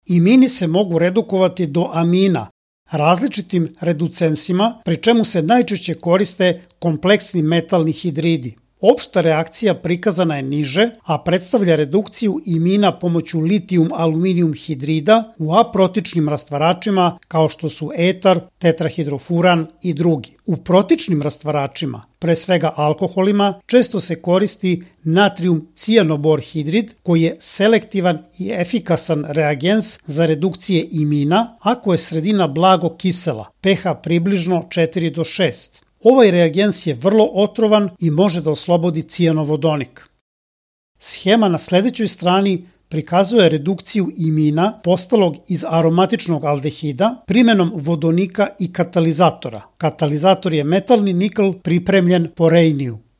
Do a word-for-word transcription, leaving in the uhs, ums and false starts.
Imini se mogu redukovati do amina, različitim reducensima, pri čemu se najčešće koriste kompleksni metalni hidridi. Opšta reakcija prikazana je niže, a predstavlja redukciju imina pomoću litijum-aluminijum hidrida u aprotičnim rastvaračima kao što su etar, tetrahidrofuran i drugi. U protičnim rastvaračima, pre svega alkoholima, često se koristi natrijum-cijanobor hidrid koji je selektivan i efikasan reagens za redukcije imina ako je sredina blago kisela, pH približno četiri do šest. Ovaj reagens je vrlo otrovan i može da oslobodi cijanovodonik. Schema na sledećoj strani prikazuje redukciju imina postalog iz aromatičnog aldehida primjenom vodonika i katalizatora. Katalizator je metalni nikl pripremljen po rejniju.